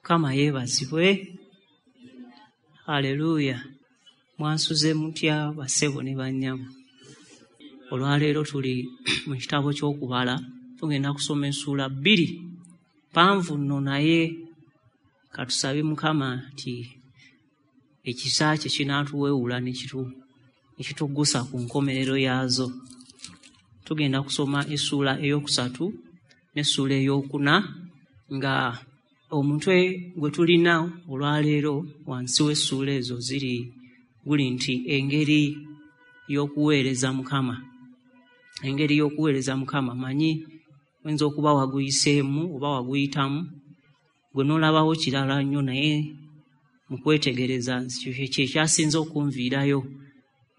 Mukama yeebazibwe. Haleluya. Mwansuze mutya bassebo ne bannyabo? Olwaleero tuli mu kitabo ky'okubala, tugenda kusoma essuula bbiri mpanvu nno, naye katusabe Mukama nti ekisa kye kinaatuweewula ne kituggusa ku nkomerero yaazo. Tugenda kusoma essuula eyookusatu n'essuula eyookuna, nga omutwe gwe tulina olwaleero wansi w'essuula ezo ziri guli nti engeri y'okuweereza Mukama. Engeri y'okuweereza Mukama. Manyi oyinza okuba waguyiseemu oba waguyitamu, gwe n'olabawo kirala nnyo, naye mu kwetegereza kye kyasinze okunviirayo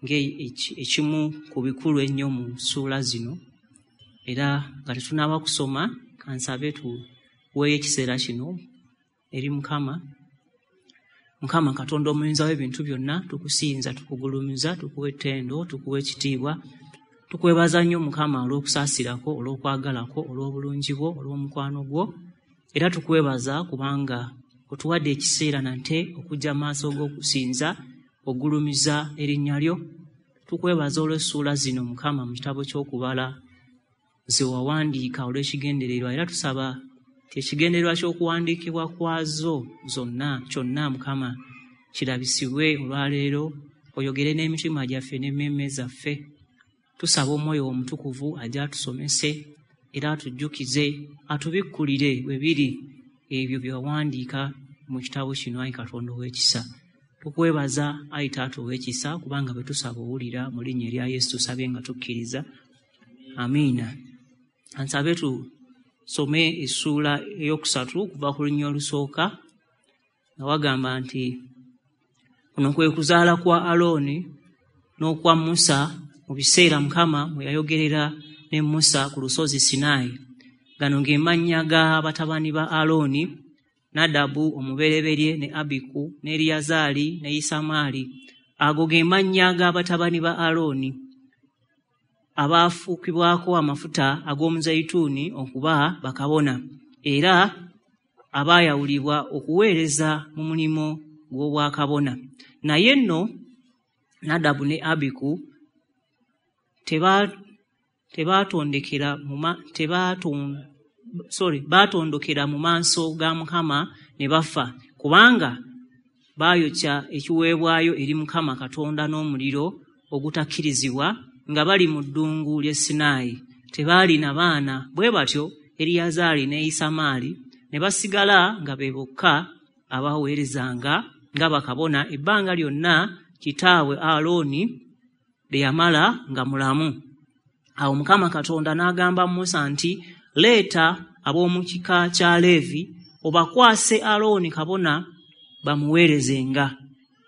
ng'ekimu ku bikulu ennyo mu ssuula zino. Era nga tetunnaba kusoma, kansabe tuweeyo ekiseera kino eri Mukama. Mukama Katonda omuyinza w'ebintu byonna, tukusinza, tukugulumiza, tukuwa ettendo, tukuwa ekitiibwa. Tukwebaza nnyo Mukama olw'okusaasirako, olw'okwagalako, olw'obulungi bwo, olw'omukwano gwo. Era tukwebaza kubanga otuwadde ekiseera nate okujja mu maaso g'okusinza, ogulumiza erinnya lyo. Tukwebaza olw'essuula zino Mukama mu kitabo ky'okubala ze wawandiika olw'ekigendererwa, era tusaba nti ekigendererwa ky'okuwandiikibwa kwazo zonna kyonna Mukama kirabisibwe olwaleero, oyogere n'emitima gyaffe n'emmeeme zaffe. Tusaba Omwoyo Omutukuvu ajje atusomese era atujjukize, atubikkulire bwe biri ebyo bye wawandiika mu kitabo kino, ayi Katonda ow'ekisa. Tukwebaza ayi Taata ow'ekisa, kubanga bwe tusaba owulira. Mu linnya erya Yesu tusabye nga tukkiriza, amiina. Ansabe tusome essuula eyookusatu okuva ku lunya olusooka, nga wagamba nti kuno kwe kuzaala kwa Alooni n'okwa Musa mu biseera Mukama mwe yayogerera ne Musa ku lusozi Sinaayi. Gano ge mannya ga batabani ba Alooni: Nadabu omubereberye, ne Abiku, ne Eriyazaali ne Isamaali. Ago ge mannya ga batabani ba Alooni abaafukibwako amafuta ag'omuzeyituuni okuba bakabona, era abaayawulibwa okuweereza mu mulimu gw'obwakabona. Naye nno Nadabu ne Abiku tebaatondokera mu maaso ga Mukama ne bafa, kubanga baayokya ekiweebwayo eri Mukama Katonda n'omuliro ogutakkirizibwa nga bali mu ddungu ly'e Sinaayi. Tebaalina baana, bwe batyo Eriyazaali ne Isamaali ne basigala nga be bokka abaweerezanga nga bakabona ebbanga lyonna kitaabwe Alooni lye yamala nga mulamu. Awo Mukama Katonda n'agamba Musa nti, leeta ab'omu kika kya Leevi obakwase Alooni kabona bamuweerezenga.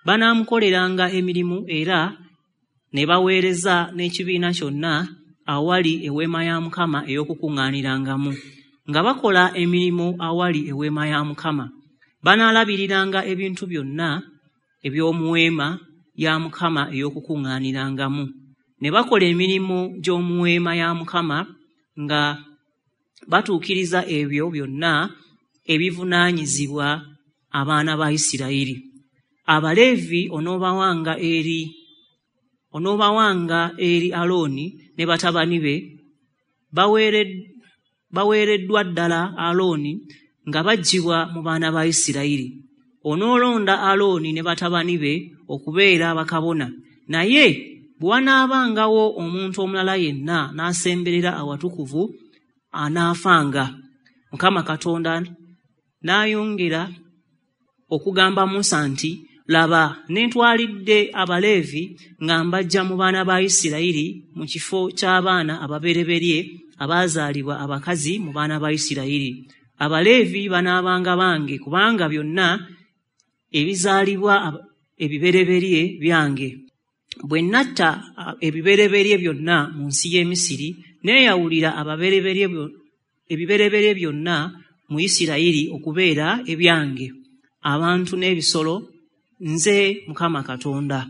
Banaamukoleranga emirimu era ne baweereza n'ekibiina kyonna awali eweema ya Mukama ey'okukuŋŋaanirangamu, nga bakola emirimu awali eweema ya Mukama. Banaalabiriranga ebintu byonna eby'omu weema ya Mukama ey'okukuŋŋaanirangamu, ne bakola emirimu gy'omu weema ya Mukama nga batuukiriza ebyo byonna ebivunaanyizibwa abaana ba Isirayiri. Abaleevi onoobawanga eri Alooni ne batabani be, baweereddwa ddala Alooni nga baggyibwa mu baana ba Isirayiri. Onoolonda Alooni ne batabani be okubeera bakabona, naye bwe wanaabangawo omuntu omulala yenna n'asemberera awatukuvu, anaafanga. Mukama Katonda n'ayongera okugamba Musa nti, laba, neetwalidde Abaleevi nga mbaggya mu baana ba Isirayiri mu kifo ky'abaana ababereberye abaazaalibwa abakazi mu baana ba Isirayiri. Abaleevi banaabanga bange, kubanga byonna ebizaalibwa ebibereberye byange. Bwe natta ebibereberye byonna mu nsi y'e Misiri, neeyawulira ebibereberye byonna mu Isirayiri okubeera ebyange, abantu n'ebisolo. Nze Mukama Katonda.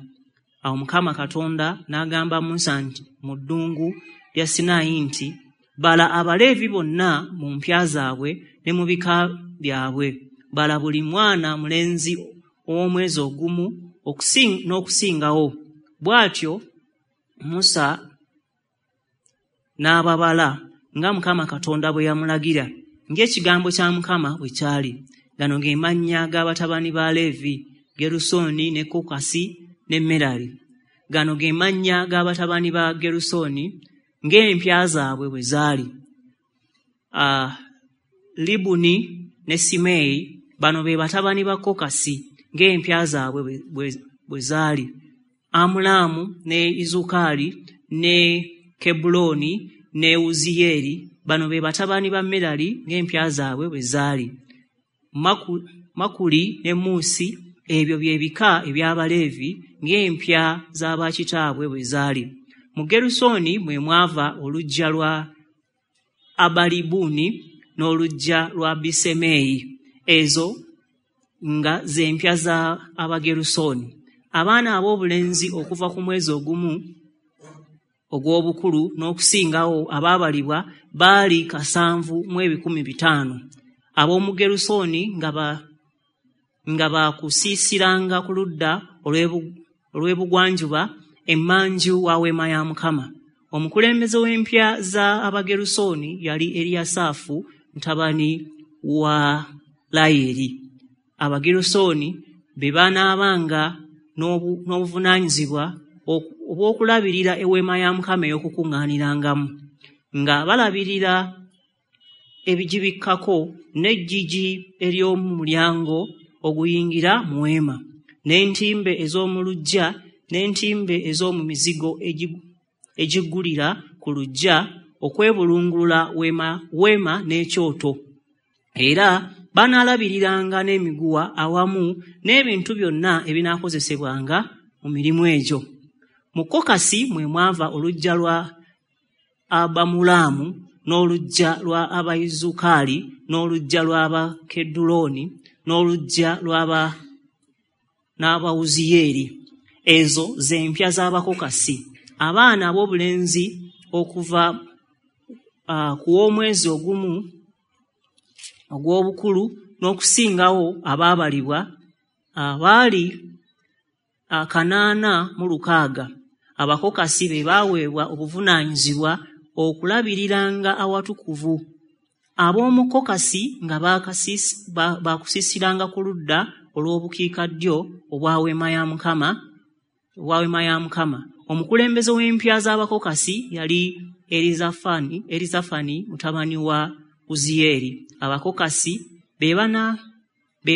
Awo Mukama Katonda n'agamba Musa nti mu ddungu lya Sinaayi nti, bala Abaleevi bonna mu mpya zaabwe ne mu bika byabwe. Bala buli mwana mulenzi ow'omwezi ogumu n'okusingawo." Bw'atyo Musa n'ababala nga Mukama Katonda bwe yamulagira, ng'ekigambo kya Mukama bwe kyali. Gano ge mannya g'abatabani ba Leevi: Gerusooni ne Kokasi ne Merali. Gano ge mannya g'abatabani ba Gerusooni ng'empya zaabwe bwe zaali: Libuni ne Simeeyi. Bano be batabani ba Kokasi ng'empya zaabwe bwe zaali: Amulaamu ne Izukaali ne Kebbulooni ne Wuziyeeri. Bano be batabani ba Merali ng'empya zaabwe bwe zaali: Makuli ne Muusi. Ebyo bye bika eby'Abaleevi ng'empya z'abakitaabwe bwe zaali. Mu Gerusooni mwe mwava oluggya lwa Abalibuni n'oluggya lwa Bisemeeyi. Ezo nga z'empya za Abagerusooni. Abaana ab'obulenzi okuva ku mwezi ogumu ogw'obukulu n'okusingawo abaabalibwa baali 7,500. Ab'omu Gerusooni nga baakusiisiranga ku ludda olw'ebugwanjuba emmanju wa Weema ya Mukama. Omukulembeze w'empya za Abagerusooni yali Eriyasaafu mutabani wa Layeri. Abagerusooni be banaabanga n'obuvunaanyizibwa obw'okulabirira eweema ya Mukama ey'okukuŋŋaanirangamu, nga balabirira ebigibikkako n'eggigi ery'omu mulyango oguyingira mu weema, n'entimbe ez'omu luggya, n'entimbe ez'omu mizigo egiggulira ku luggya okwebulungulula weema n'ekyoto. Era banaalabiriranga n'emiguwa awamu n'ebintu byonna ebinaakozesebwanga mu mirimu egyo. Mu Kokasi mwe mwava oluggya lwa Abamulaamu n'oluggya lwa Abayizukaali n'oluggya lw'Abakedulooni n'oluggya n'Abawuziyeeri. Ezo z'empya z'Abakokasi. Abaana ab'obulenzi okuva ku w'omwezi ogumu ogw'obukulu n'okusingawo abaabalibwa baali 806. Abakokasi be baaweebwa obuvunaanyizibwa okulabiriranga awatukuvu. Ab'omu Kokasi nga baakusiisiranga ku ludda olw'obukiikaddyo obwa Weema ya Mukama. Omukulembeze w'empya z'Abakokasi yali Erizafani mutabani wa Uziyeeri. Abakokasi be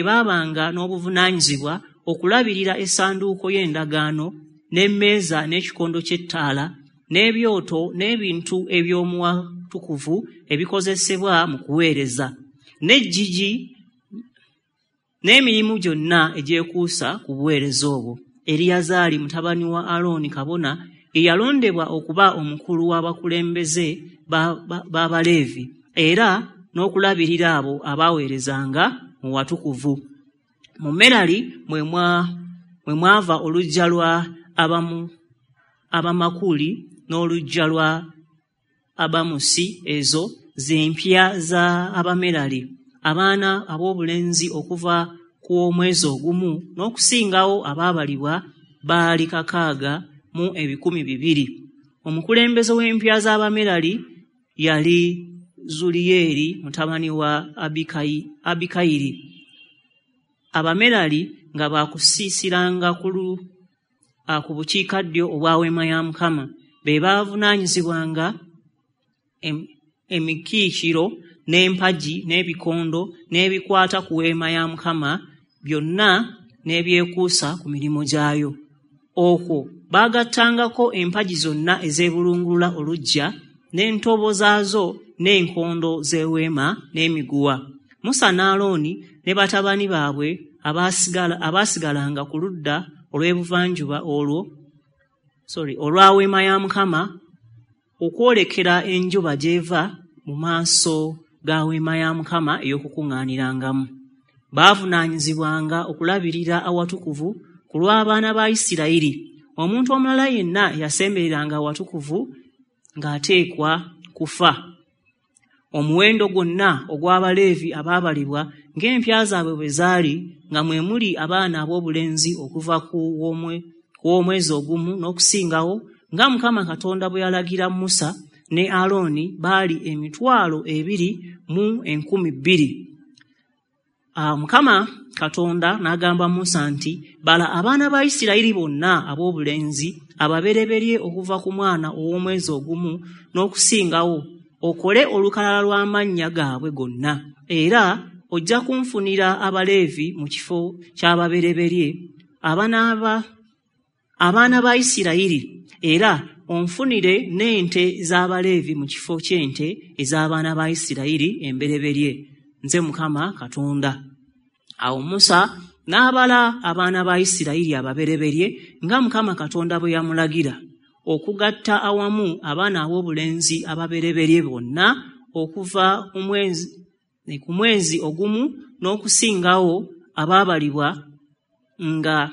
baabanga n'obuvunaanyizibwa okulabirira essanduuko y'endagaano n'emmeeza n'ekikondo ky'ettaala n'ebyoto n'ebintu eby'omu watukuvu ebikozesebwa mu kuweereza, n'eggigi n'emirimu gyonna egyekuusa ku buweereza obwo. Eriyazaali mutabani wa Alooni kabona ye yalondebwa okuba omukulu w'abakulembeze b'Abaleevi era n'okulabirira abo abaaweerezanga mu watukuvu. Mu Merali mwe mwava oluggya lwa Abamakuli n'oluggya lwa Abamusi. Ezo z'empya za Abamerali. Abaana ab'obulenzi okuva ku w'omwezi ogumu n'okusingawo abaabalibwa baali 6,200. Omukulembeze w'empya z'Abamerali yali Zuliyeeri mutabani wa Abikayiri. Abamerali nga baakusiisiranga ku bukiikaddyo obwa Weema ya Mukama. Be baavunaanyizibwanga emikiikiro n'empagi n'ebikondo n'ebikwata ku Weema ya Mukama byonna n'ebyekuusa ku mirimu gyayo. Okwo baagattangako empagi zonna ezeebulungulula oluggya n'entobo zaazo n'enkondo z'eweema n'emiguwa. Musa ne Alooni ne batabani baabwe abaasigalanga ku ludda olw'ebuvanjuba olwa Weema ya Mukama okwolekera enjuba gy'eva mu maaso ga Weema ya Mukama ey'okukuŋŋaanirangamu. Baavunaanyizibwanga okulabirira awatukuvu ku lw'abaana ba Isirayiri. Omuntu omulala yenna eyasembereranga awatukuvu ng'ateekwa kufa. Omuwendo gwonna ogw'Abaleevi abaabalibwa ng'empya zaabwe bwe zaali, nga mwe muli abaana ab'obulenzi okuva ku w'omwezi ogumu n'okusingawo, nga Mukama Katonda bwe yalagira Musa ne Alooni, baali 2,200. Mukama Katonda n'agamba Musa nti, bala abaana ba Isirayiri bonna ab'obulenzi ababereberye okuva ku mwana ow'omwezi ogumu n'okusingawo, okole olukalala lw'amannya gaabwe gonna, era ojja kunfunira Abaleevi mu kifo ky'ababereberye abaana ba Isirayiri, era onfunire n'ente z'Abaleevi mu kifo ky'ente ez'abaana ba Isirayiri embereberye. Nze Mukama Katonda. Awo Musa n'abala abaana ba Isirayiri ababereberye nga Mukama Katonda bwe yamulagira, okugatta awamu abaana ab'obulenzi ababereberye bonna okuva ku mwezi ogumu n'okusingawo abaabalibwa nga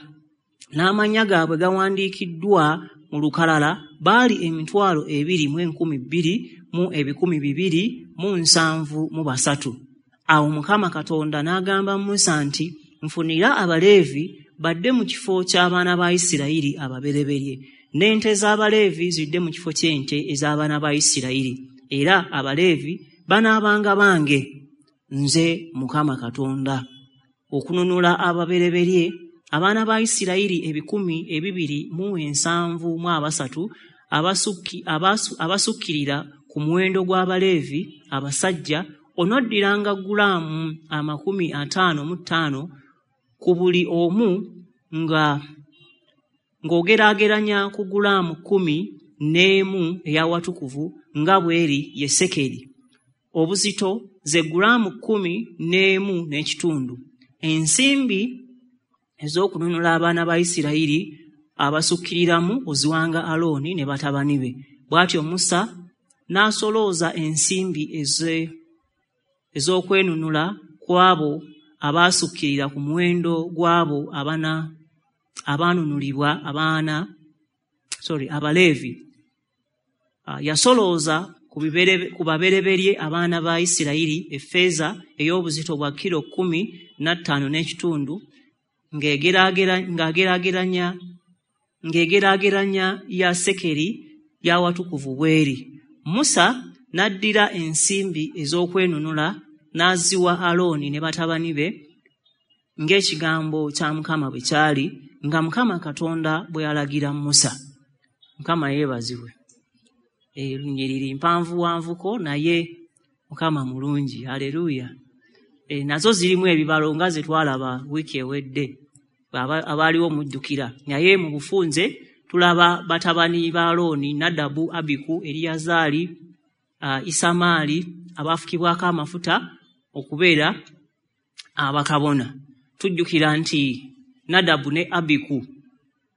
n'amannya gaabwe gawandiikiddwa mu lukalala, baali 22,273. Awo Mukama Katonda n'agamba Musa nti, nfunira Abaleevi badde mu kifo ky'abaana ba Isirayiri ababereberye, n'ente z'Abaleevi zidde mu kifo ky'ente ez'abaana ba Isirayiri, era Abaleevi banaabanga bange, nze Mukama Katonda. Okununula ababereberye abaana ba Isirayiri 2,073 abasukkirira ku muwendo gw'Abaleevi abasajja, onoddiranga gulaamu 55 ku buli omu nga ng'ogeraageranya ku gulaamu 11 ey'awatukuvu nga bw'eri ye sekeri. Obuzito ze gulaamu 11.5. Ensimbi ez'okununula abaana ba Isirayiri abasukkiriramu oziwanga Alooni ne batabani be. Bw'atyo Musa n'asolooza ensimbi ez'okwenunula ku abo abaasukkirira ku muwendo gw'abo abaanunulibwa Abaleevi. Yasolooza ku babereberye abaana ba Isirayiri effeeza ey'obuzito bwa kilo 15.5 ng'egeraageranya ya sekeri y'awatukuvu bw'eri. Musa n'addira ensimbi ez'okwenunula n'aziwa Alooni ne batabani be ng'ekigambo kya Mukama bwe kyali, nga Mukama Katonda bwe yalagira Musa. Mukama yeebazibwe. Lunyiriri mpanvuwanvuko, naye Mukama mulungi. Haleluya. Nazo zirimu ebibalo nga ze twalaba wiiki ewedde, abaaliwo mujjukira. Naye mu bufunze tulaba batabani ba Alooni, Nadabu, Abiku, Eriyazaali, Isamaali, abaafukibwako amafuta okubeera abakabona. Tujjukira nti Nadabu ne Abiku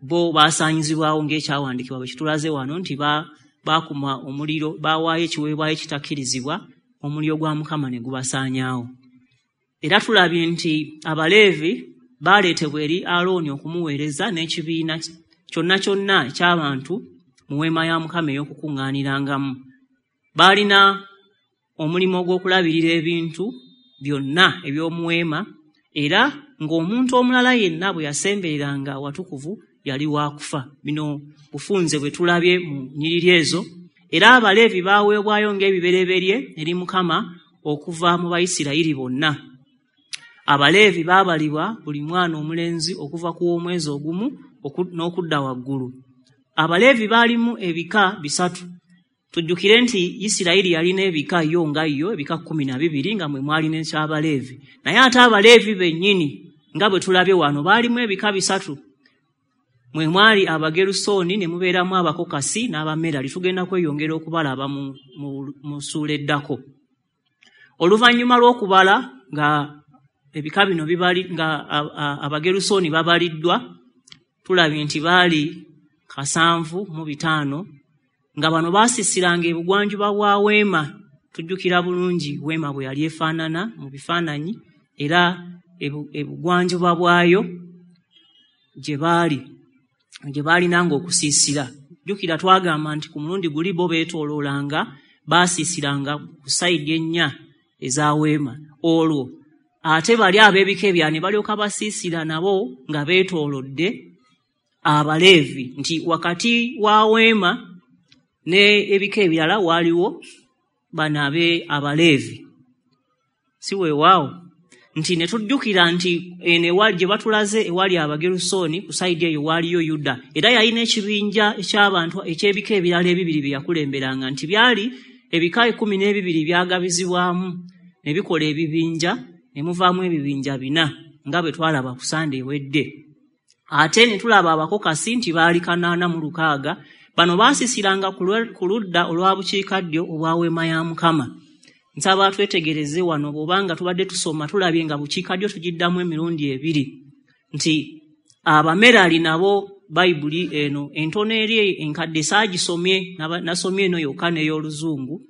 bo baasaanyizibwawo ng'ekyawandiikibwa bwe kitulaze wano nti baakuma omuliro, baawaayo ekiweebwayo ekitakkirizibwa, omuliro gwa Mukama ne gubasaanyaawo. Era tulabye nti Abaleevi baaleetebwa eri Alooni okumuweereza n'ekibiina kyonna kyonna eky'abantu mu weema ya Mukama ey'okukuŋŋaanirangamu. Baalina omulimu ogw'okulabirira ebintu byonna eby'omu weema, era ng'omuntu omulala yenna bwe yasembereranga awatukuvu yali waakufa. Bino bufunze bwe tulabye mu nnyiriri ezo. Era Abaleevi baaweebwayo ng'ebibereberye eri Mukama okuva mu Bayisirayiri bonna. Abaleevi baabalibwa buli mwana omulenzi okuva ku w'omwezi ogumu n'okudda waggulu. Abaleevi baalimu ebika 3. Tujjukire nti Isirayiri yalina ebika yo nga yo, ebika 12, nga mwe mwali n'eky'Abaleevi. Naye ate Abaleevi bennyini nga bwe tulabye wano baalimu ebika 3. Mwe mwali Abagerusooni ne mubeeramu Abakokasi n'Abamerali. Tugenda kweyongera okubalaba mu ssuula eddako. Oluvannyuma lw'okubala nga ebika bino bibali, nga Abagerusooni babaliddwa, tulabye nti baali 75, nga bano baasisiranga ebugwanjuba bwa weema. Tujjukira bulungi weema bwe yali efaanana mu bifaananyi, era ebugwanjuba bwayo gye baalinanga okusiisira. Jjukira twagamba nti ku mulundi guli bo beetooloolanga, Baasiisiranga ku sayidi ennya eza weema. Olwo ate bali ab'ebika ebirala ne balyoka basiisira nabo nga beetoolodde Abaleevi, nti wakati wa weema ne ebika ebirala waaliwo bano Abaleevi. Si weewaawo nti ne tujjukira nti eno ewali gye batulaze ewali Abagerusooni, ku sayidi eyo waaliyo Yuda, era yalina ekibinja eky'abantu eky'ebika ebirala ebibiri bye yakulemberanga, nti byali ebika 12 byagabizibwamu ne bikola ebibinja, ne muvaamu ebibinja 4 nga bwe twalaba ku Sande ewedde. Ate ne tulaba Abakokasi nti baali 806. Bano baasisiranga ku ludda olwa bukiikaddyo obwa weema ya Mukama. Nsaba twetegereze wano, bw'obanga tubadde tusoma tulabye nga bukiikaddyo tugiddamu emirundi ebiri, nti Abamerali nabo Bayibuli eno entono eri enkadde saagisomye, nasomye eno yokka n'ey'Oluzungu,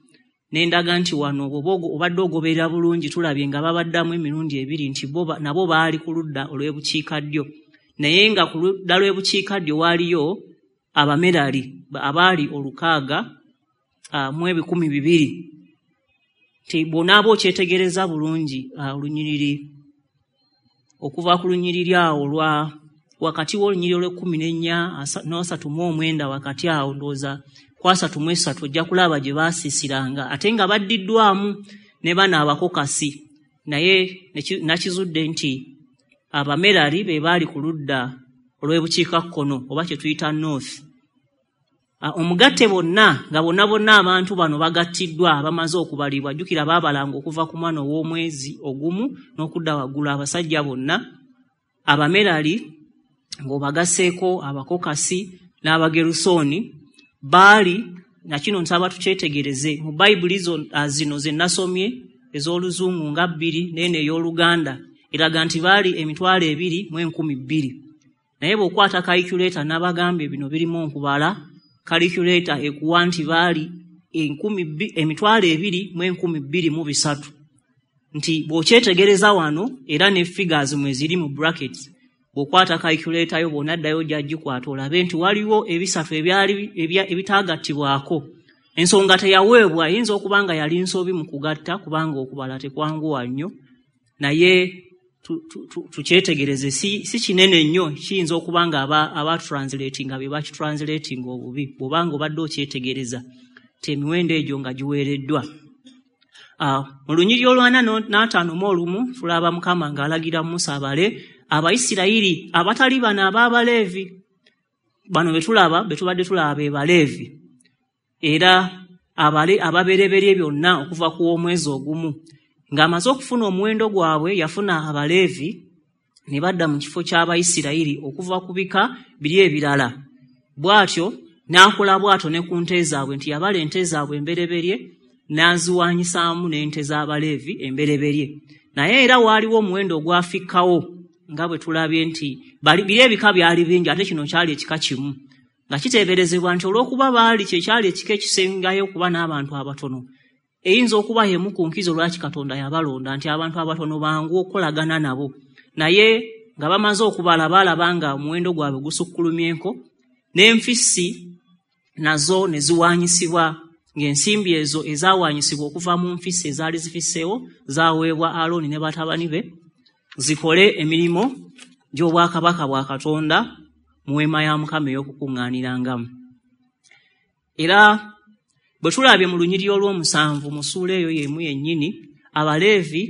ne ndaga nti wano bw'oba obadde ogoberera bulungi tulabye nga babaddamu emirundi ebiri, nti bo nabo baali ku ludda olw'ebukiikaddyo, naye nga ku ludda lw'ebukiikaddyo waaliyo Abamerali abaali 6200. Nti bw'onaaba okyetegereza bulungi olunyiriri, okuva ku lunyiriri awo lwa wakati w'olunyiriri olw'e14 n'39, wakati awo ndowooza ku 33 ojja kulaba gye baasiisiranga, ate nga baddiddwamu ne bano Abakokasi. Naye nakizudde nti Abamerali be baali ku ludda olw'ebukiikakkono oba kye tuyita north. Omugatte bonna nga bonna bonna abantu bano bagattiddwa abamaze okubalibwa, jjukira baabalanga okuva ku mwana ow'omwezi ogumu n'okudda waggulu abasajja bonna, Abamerali ng'obagasseeko Abakokasi n'Abagerusooni baali, na kino nsaba tukyetegereze mu Bayibuli zino ze nasomye ez'Oluzungu nga 2 n'eno ey'Oluganda eraga nti baali 2,002. Naye bw'okwata calculator, n'abagambye bino birimu okubala, calculator ekuwa nti baali 2,203. Nti bw'okyetegereza wano era ne figures mwe ziri mu brackets, bw'okwata calculator yo bw'onaddayo ojja gikwata olabe nti waliwo ebisatu ebyali ebitaagattibwako. Ensonga teyaweebwa, eyinza okuba nga yali nsobi mu kugatta kubanga okubala tekwanguwa nnyo, naye tukyetegereze, si kinene nnyo, kiyinza okuba nga aba translatinga be bakitranslatinga obubi, bw'obanga obadde okyetegereza nti emiwendo egyo nga giweereddwa. Mu lunyiriri olw'45 tulaba Mukama ng'alagira Musa abale Abayisirayiri abatali bano ab'Abaleevi. Bano be tulaba, be tubadde tulaba be Baleevi, era abale ababereberye byonna okuva ku w'omwezi ogumu. Ng'amaze okufuna omuwendo gwabwe, yafuna Abaleevi ne badda mu kifo ky'Abayisirayiri okuva ku bika biri ebirala. Bw'atyo n'akola bw'atyo ne ku nte zaabwe, nti yabala ente zaabwe embereberye n'aziwaanyisaamu n'ente z'Abaleevi embereberye. Naye era waaliwo omuwendo ogwafikkawo nga bwe tulabye nti biri ebika byali bingi, ate kino kyali ekika kimu, nga kiteeberezebwa nti olw'okuba baali kye kyali ekika ekisingayo okuba n'abantu abatono, eyinza okuba y'emu ku nkizo lwaki Katonda yabalonda, nti abantu abatono bangu okukolagana nabo. Naye nga bamaze okubala baalaba nga omuwendo gwabwe gusukkulumyeko, n'enfissi nazo ne ziwaanyisibwa, ng'ensimbi ezo ezaawaanyisibwa okuva mu nfissi ezaali zifisseewo zaaweebwa Alooni ne batabani be zikole emirimu gy'obwakabaka bwa Katonda mu weema ya Mukama ey'okukuŋŋaanirangamu. Era bwe tulabye mu lunyiriri olw'omusanvu mu ssuula eyo y'emu yennyini, Abaleevi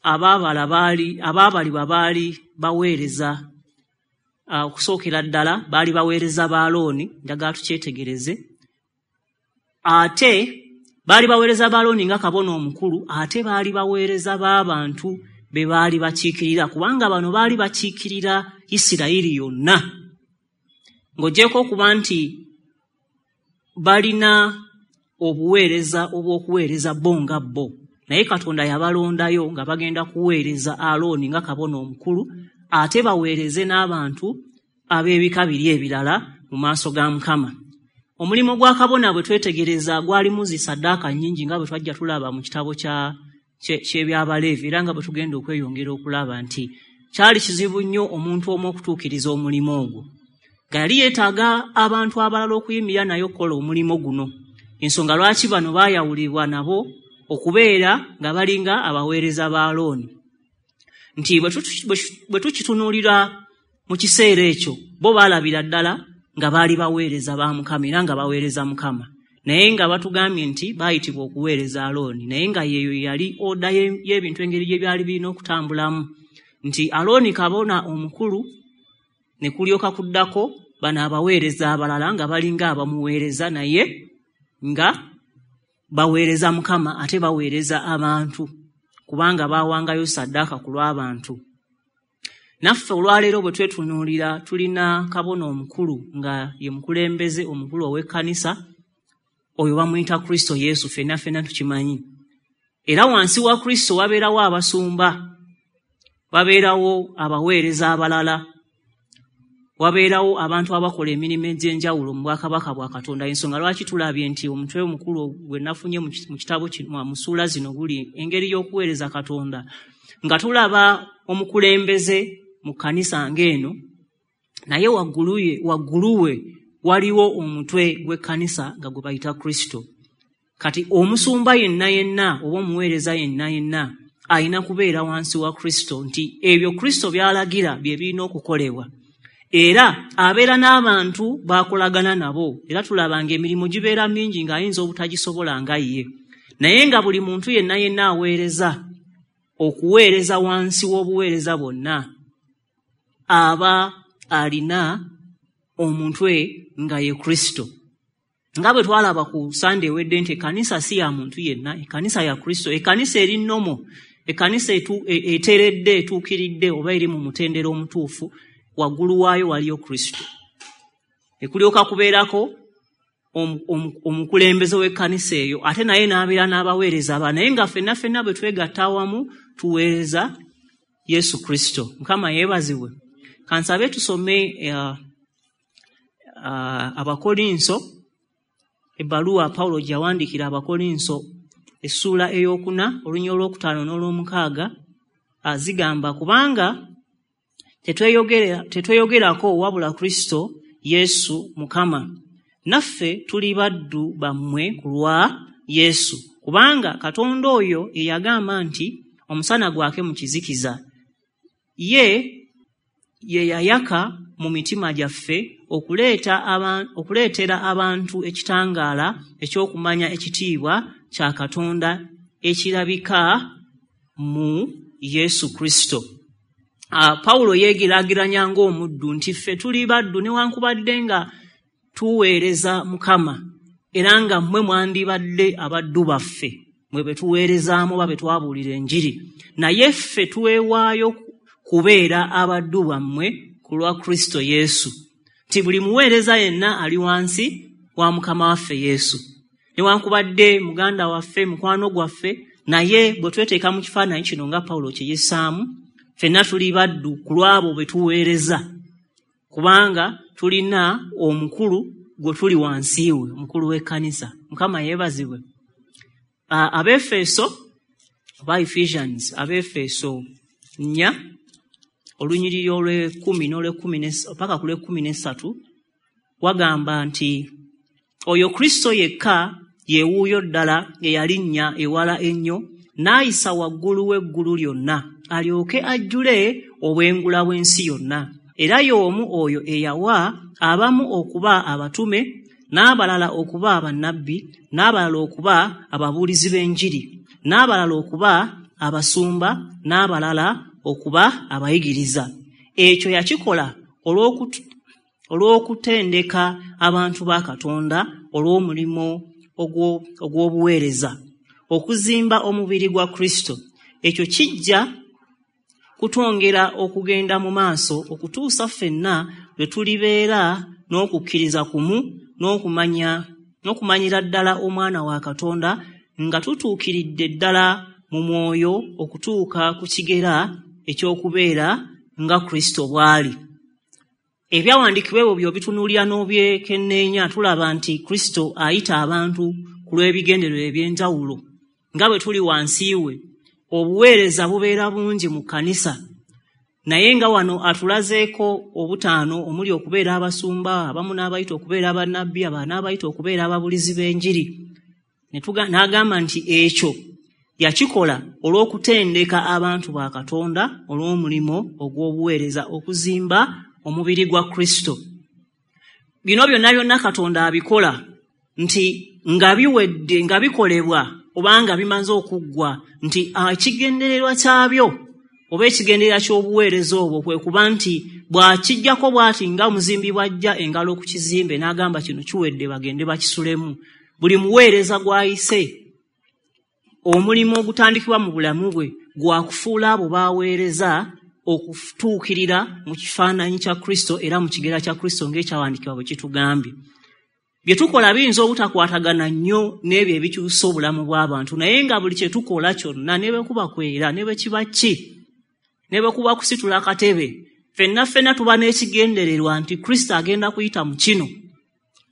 abaabalibwa baali baweereza, okusookera ddala baali baweereza ba Alooni, njagala tukyetegereze. Ate baali baweereza ba Alooni nga kabona omukulu, ate baali baweereza b'abantu be baali bakiikirira, kubanga bano baali bakiikirira Isirayiri yonna. Ng'oggyeko okuba nti balina obuweereza obw'okuweereza bo nga bo, naye Katonda yabalondayo nga bagenda kuweereza Alooni nga kabona omukulu, ate baweereze n'abantu ab'ebika biri ebirala mu maaso ga Mukama. Omulimu gwa kabona bwe twetegereza gwalimu zi ssaddaaka nnyingi nga bwe twajja tulaba mu kitabo ky'Ebyabaleevi, era nga bwe tugenda okweyongera okulaba nti kyali kizibu nnyo omuntu omu okutuukiriza omulimu ogwo, nga yali yeetaaga abantu abalala okuyimirira naye okukola omulimu guno. Ensonga lwaki bano baayawulibwa nabo okubeera nga balinga abaweereza ba Alooni, nti bwe tukitunuulira mu kiseera ekyo bo baalabira ddala nga baali baweereza ba Mukama era nga baweereza Mukama, naye nga batugambye nti baayitibwa okuweereza Alooni, naye nga yeeyo yali oda y'ebintu engeri gye byali birina okutambulamu, nti Alooni kabona omukulu ne kulyoka kuddako bano abaweereza abalala nga balinga abamuweereza, naye nga baweereza Mukama ate baweereza abantu, kubanga baawangayo ssaddaaka ku lw'abantu. Naffe olwaleero bwe twetunuulira tulina kabona omukulu nga ye mukulembeze omukulu ow'ekkanisa, oyo bamuyita Kristo Yesu, ffenna ffenna tukimanyi. Era wansi wa Kristo wabeerawo abasumba, wabeerawo abaweereza abalala, wabeerawo abantu abakola emirimu egy'enjawulo mu bwakabaka bwa Katonda. Ensonga lwaki tulabye nti omutwe omukulu gwe nafunye mu kitabo kino, mu ssuula zino, guli engeri y'okuweereza Katonda, nga tulaba omukulembeze mu kkanisa ng'eno, naye waggulu we waliwo omutwe gw'ekkanisa nga gwe bayita Kristo. Kati omusumba yenna yenna oba omuweereza yenna yenna alina kubeera wansi wa Kristo, nti ebyo Kristo by'alagira bye birina okukolebwa. Era abeera n'abantu b'akolagana nabo, era tulaba ng'emirimu gibeera mingi ng'ayinza obutagisobola nga ye, naye nga buli muntu yenna yenna aweereza okuweereza wansi w'obuweereza bwonna aba alina omutwe nga ye Kristo. Nga bwe twalaba ku Sande ewedde nti ekkanisa si ya muntu yenna, ekkanisa ya Kristo, ekkanisa eri nnomo, ekkanisa eteredde, etuukiridde oba eri mu mutendera omutuufu, waggulu waayo waliyo Kristo. Ekulyoka kubeerako omukulembeze w'ekkanisa eyo, ate naye n'abeera n'abaweereza aba, naye nga ffenna ffenna bwe twegatta awamu tuweereza Yesu Kristo. Mukama yeebazibwe. Kansabe tusome Abakolinso, ebbaluwa Pawulo gye yawandiikira Abakolinso, essuula 4, olunyiriri 5 n'olwomukaaga, zigamba, kubanga tetweyogerako wabula Kristo Yesu Mukama, naffe tuli baddu bammwe ku lwa Yesu, kubanga Katonda oyo ye yagamba nti omusana gwake mu kizikiza, ye ye yayaka mu mitima gyaffe okuleetera abantu ekitangaala eky'okumanya ekitiibwa kya Katonda ekirabika mu Yesu Kristo. Pawulo yeegeraageranya ng'omuddu nti ffe tuli baddu newankubadde nga tuweereza Mukama, era nga mmwe mwandibadde abaddu baffe, mwe be tuweerezaamu oba be twabuulira enjiri, naye ffe tuweewaayo kubeera abaddu bammwe ku lwa Kristo Yesu. Nti buli muweereza yenna ali wansi wa Mukama waffe Yesu, newankubadde muganda waffe, mukwano gwaffe, naye bwe tweteeka mu kifaananyi kino nga Pawulo kye yessaamu, ffenna tuli baddu ku lw'abo be tuweereza, kubanga tulina omukulu gwe tuli wansi we, omukulu w'ekkanisa. Mukama yeebazibwe. Abeefeso oba Ephesians, Abeefeso 4, olunyiriri olw'ekumi n'olwekumi paka ku lw'ekkumi n'essatu, wagamba nti oyo Kristo yekka ye wuuyo ddala eyalinnya ewala ennyo n'ayisa waggulu w'eggulu lyonna, alyoke ajjule obwengula bw'ensi yonna. Era y'omu oyo eyawa abamu okuba abatume, n'abalala okuba bannabbi, n'abalala okuba ababuulizi b'enjiri, n'abalala okuba abasumba, n'abalala okuba abayigiriza. Ekyo yakikola olw'okutendeka abantu ba Katonda olw'omulimu ogw'obuweereza, okuzimba omubiri gwa Kristo. Ekyo kijja kutwongera okugenda mu maaso okutuusa ffenna lwe tulibeera n'okukkiriza kumu n'okumanyira ddala Omwana wa Katonda, nga tutuukiridde ddala mu mwoyo okutuuka ku kigera eky'okubeera nga Kristo bw'ali. Ebyawandiikibwa ebyo by'obitunuulira n'obyekenneenya, tulaba nti Kristo ayita abantu ku lw'ebigendererwa eby'enjawulo. Nga bwe tuli wansi we, obuweereza bubeera bungi mu kkanisa. Naye nga wano atulazeeko obutaano omuli okubeera abasumba, abamu n'abayita okubeera abannabbi, abalala n'abayita okubeera ababulizi b'enjiri. N'agamba nti ekyo yakikola olw'okutendeka abantu ba Katonda olw'omulimu ogw'obuweereza okuzimba omubiri gwa Kristo. Bino byonna byonna Katonda abikola nti nga biwedde, nga bikolebwa oba nga bimaze okuggwa, nti ekigendererwa kyabyo oba ekigendererwa ky'obuweereza obwo kwe kuba nti bw'akijjako bw'ati nga omuzimbi bw'ajja engalo ku kizimbe n'agamba kino kiwedde bagende bakisulemu. Buli muweereza gw'ayise omulimu ogutandikibwa mu bulamu bwe gwakufuula abo b'aweereza okutuukirira mu kifaananyi kya Kristo era mu kigera kya Kristo ng'ekyawandiikibwa bwe kitugambye. Bye tukola biyinza obutakwatagana nnyo n'ebyo ebikyusa obulamu bw'abantu, naye nga buli kye tukola kyonna ne bwe kuba kwera ne bwe kiba ki, ne bwe kuba kusitula akatebe, ffenna ffenna tuba n'ekigendererwa nti Kristo agenda kuyita mu kino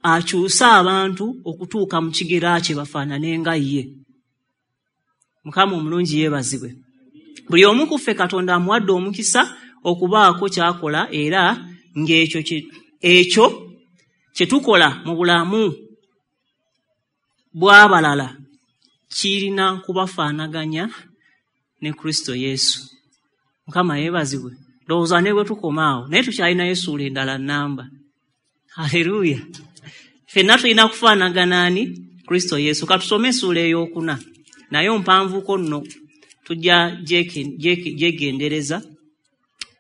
akyuse abantu okutuuka mu kigera kye bafaanane nga ye. Mukama omulungi yeebazibwe. Buli omu ku ffe Katonda amuwadde omukisa okubaako ky'akola, era ng'ekyo ekyo kye tukola mu bulamu bw'abalala kirina kubafaanaganya ne Kristo Yesu. Mukama yeebazibwe. Ndowooza ne bwe tukoma awo, naye tukyalinayo essuula endala nnamba. Haleluya! Ffenna tulina kufaanagana ani? Kristo Yesu. Katusome essuula ey'okuna, naye mpanvuko nno, tujja gyegendereza.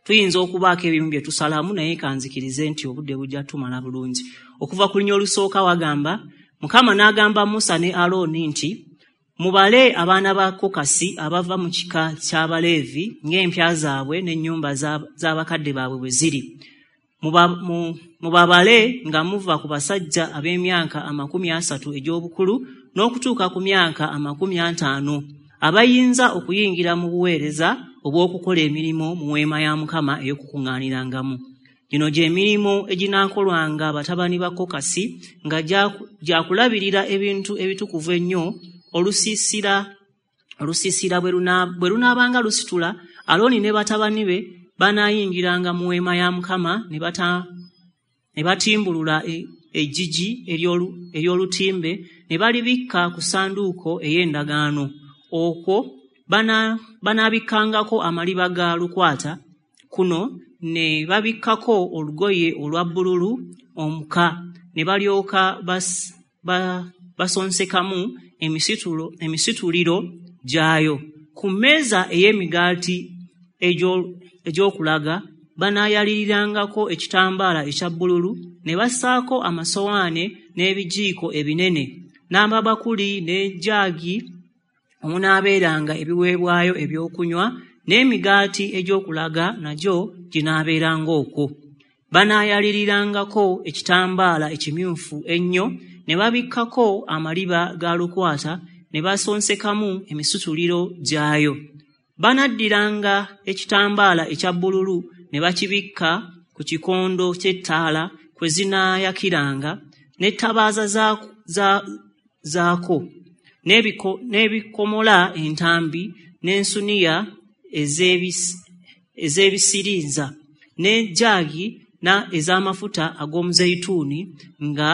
Tuyinza okubaako ebimu bye tusalamu, naye kanzikirize nti obudde bujja tumala bulungi. Okuva ku lunya olusooka wagamba, Mukama n'agamba Musa ne Alooni nti, mubale abaana ba Kokasi abava mu kika ky'Abaleevi ng'empya zaabwe n'ennyumba z'abakadde baabwe bwe ziri. Mubabale nga muva ku basajja ab'emyaka 30 egy'obukulu n'okutuuka ku myaka 50 abayinza okuyingira mu buweereza obw'okukola emirimu mu weema ya Mukama ey'okukuŋŋaanirangamu. Gino gy'emirimu eginaakolwanga batabani ba Kokasi nga gyakulabirira ebintu ebitukuvu ennyo. Olusiisira bwe lunaabanga lusitula, Alooni ne batabani be banaayingiranga mu weema ya Mukama ne batimbulula eggigi ery'olutimbe ne balibikka ku ssanduuko ey'endagaano. Okwo banaabikkangako amaliba ga lukwata, kuno ne babikkako olugoye olwa bbululu omuka, ne balyoka basonsekamu emisituliro gyayo. Ku mmeeza ey'emigaati egy'okulaga banaayalirirangako ekitambaala ekya bbululu, ne bassaako amasowaane n'ebijiiko ebinene n'amabakuli n'ejjaagi omunaabeeranga ebiweebwayo ebyokunywa, n'emigaati egy'okulaga nagyo ginaabeeranga okwo. Banaayalirirangako ekitambaala ekimyufu ennyo, ne babikkako amaliba ga lukwata, ne basonsekamu emisituliro gyayo. Banaddiranga ekitambaala ekya bbululu ne bakibikka ku kikondo ky'ettaala kwe zinaayakiranga, n'ettabaaza zaako, n'ebikomola entambi, n'ensuniya ez'ebisirinza, n'ejjaagi ez'amafuta ag'omuzeyituuni nga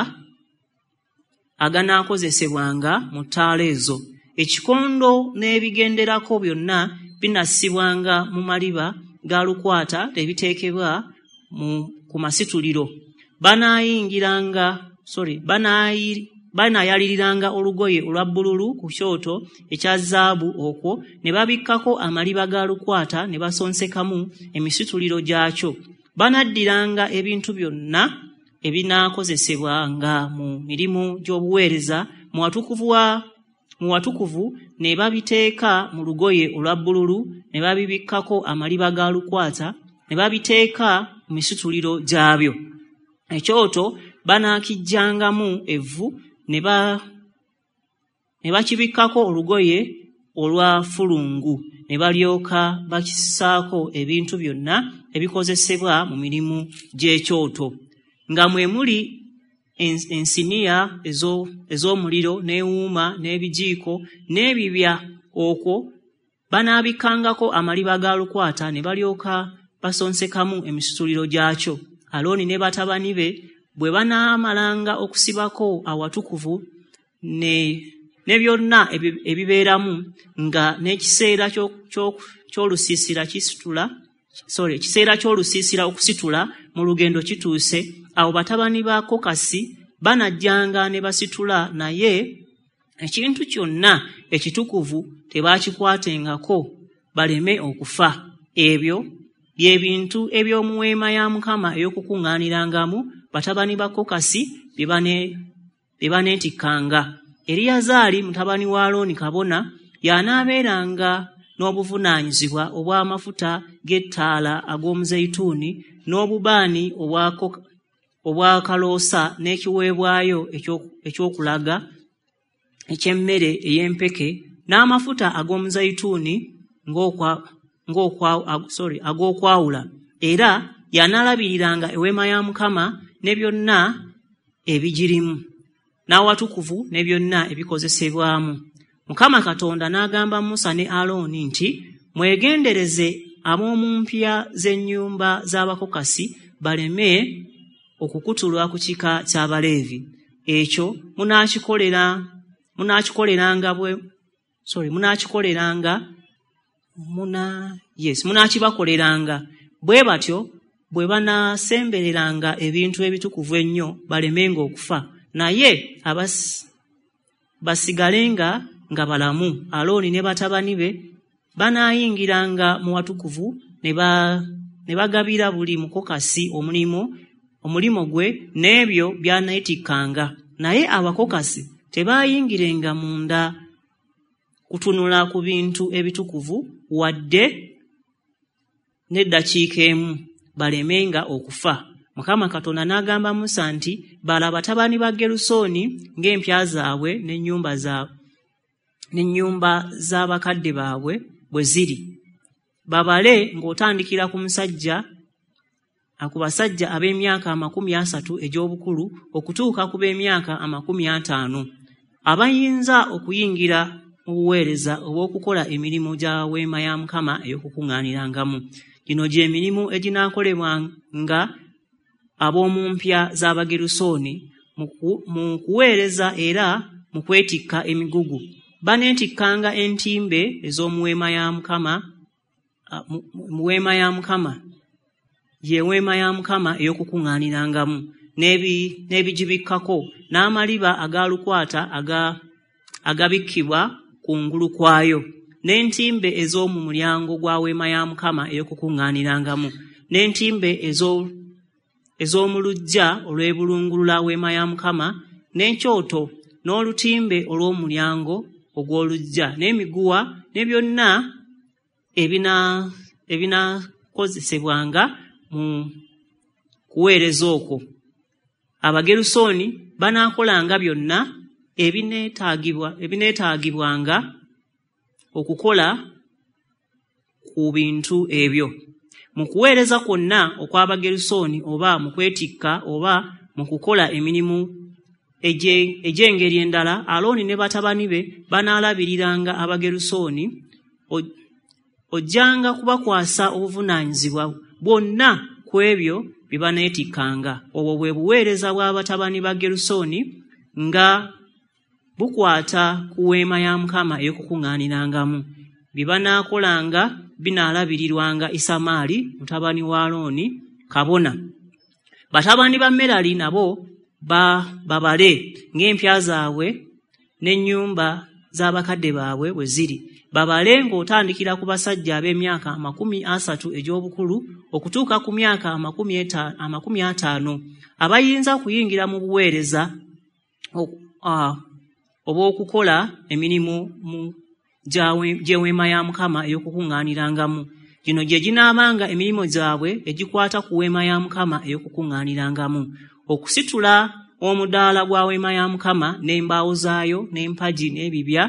aganaakozesebwanga mu ttaala ezo. Ekikondo n'ebigenderako byonna binassibwanga mu maliba ga lukwata ne biteekebwa ku masituliro. Banaayaliriranga olugoye olwa bbululu ku kyoto ekya zaabu okwo ne babikkako amaliba ga lukwata ne basonsekamu emisituliro gyakyo. Banaddiranga ebintu byonna ebinaakozesebwanga mu mirimu gy'obuweereza mu watukuvu ne babiteeka mu lugoye olwa bbululu ne babibikkako amaliba ga lukwata ne babiteeka mu misituliro gyabyo. Ekyoto banaakijjangamu evvu ne bakibikkako olugoye olwa fulungu ne balyoka bakissaako ebintu byonna ebikozesebwa mu mirimu gy'ekyoto, nga mwe muli ensiniya ez'omuliro n'ewuuma n'ebijiiko n'ebibya. Okwo banaabikkangako amaliba ga lukwata ne balyoka basonsekamu emisituliro gyakyo. Alooni ne batabani be bwe banaamalanga okusibako awatukuvu ne byonna ebibeeramu, nga n'ekiseera ky'olusiisira kisitula, sorry, ekiseera ky'olusiisira okusitula mu lugendo kituuse, awo batabani ba Kokasi banajjanga ne basitula, naye ekintu kyonna ekitukuvu tebakikwatengako baleme okufa. Ebyo bye bintu eby'omu weema ya Mukama ey'okukuŋŋaanirangamu, batabani ba Kokasi bye baneetikkanga. Eriyazaali mutabani wa Alooni kabona y'anaabeeranga n'obuvunaanyizibwa obw'amafuta g'ettaala ag'omuzeyituuni n'obubaani obw'akaloosa n'ekiweebwayo eky'okulaga eky'emmere ey'empeke n'amafuta ag'omuzeyituuni ag'okwawula. Era y'anaalabiriranga eweema ya Mukama ne byonna ebigirimu, n'awatukuvu ne byonna ebikozesebwamu. Mukama Katonda n'agamba Musa ne Alooni nti, mwegendereze ab'omu mpya z'ennyumba z'Abakokasi baleme okukutulwa ku kika ky'Abaleevi. Ekyo munaakibakoleranga bwe batyo bwe banaasembereranga ebintu ebitukuvu ennyo balemenga okufa, naye basigalenga nga balamu. Alooni ne batabani be banaayingiranga mu watukuvu ne bagabira buli mukokasi omulimu gwe n'ebyo by'aneetikkanga. Naye abakokasi tebaayingirenga munda kutunula ku bintu ebitukuvu wadde n'eddakiika emu, balemenga okufa. Mukama Katonda n'agamba Musa nti, bala batabani ba Gerusooni ng'empya zaabwe n'ennyumba z'abakadde baabwe bwe ziri. Babale ng'otandikira ku basajja ab'emyaka 30 egy'obukulu okutuuka ku b'emyaka 50, abayinza okuyingira mu buweereza obw'okukola emirimu gya weema ya Mukama ey'okukuŋŋaanirangamu. Gino gy'emirimu eginaakolebwanga ab'omu mpya z'Abagerusooni mu kuweereza era mu kwetikka emigugu. Baneetikkanga entimbe ez'omu weema ya Mukama, mu weema ya Mukama, ye weema ya Mukama ey'okukuŋŋaanirangamu, n'ebigibikkako, n'amaliba agalukwata agabikkibwa kungulu kwayo, n'entimbe ez'omu mulyango gwa weema ya Mukama ey'okukuŋŋaanirangamu, n'entimbe ez'omu luggya olw'ebulungulula weema ya Mukama, n'ekyoto, n'olutimbe olw'omulyango ogw'oluggya, n'emiguwa, ne byonna ebinaakozesebwanga mu kuweereza okwo. Abagerusooni banaakolanga byonna ebineetaagibwanga okukola ku bintu ebyo. Mu kuweereza kwonna okw'Abagerusooni oba mu kwetikka oba mu kukola emirimu egy'engeri endala, Alooni ne batabani be banaalabiriranga Abagerusooni. Ojjanga kubakwasa obuvunaanyizibwa bwonna ku ebyo bye baneetikkanga. Obwo bwe buweereza bw'abatabani ba Gerusooni nga bukwata ku weema ya Mukama ey'okukuŋŋaanirangamu. Bye banaakolanga binaalabirirwanga Isamaali mutabani wa Alooni kabona. Batabani ba Merali nabo babale ng'empya zaabwe n'ennyumba z'abakadde baabwe bwe ziri. Babale ng'otandikira ku basajja ab'emyaka 30 egy'obukulu okutuuka ku myaka 50, abayinza okuyingira mu buweereza obw'okukola emirimu gy'eweema ya Mukama ey'okukuŋŋaanirangamu. Gino gye ginaabanga emirimu gyabwe egikwata ku weema ya Mukama ey'okukuŋŋaanirangamu: okusitula omudaala gwa weema ya Mukama n'embaawo zaayo n'empagi n'ebibya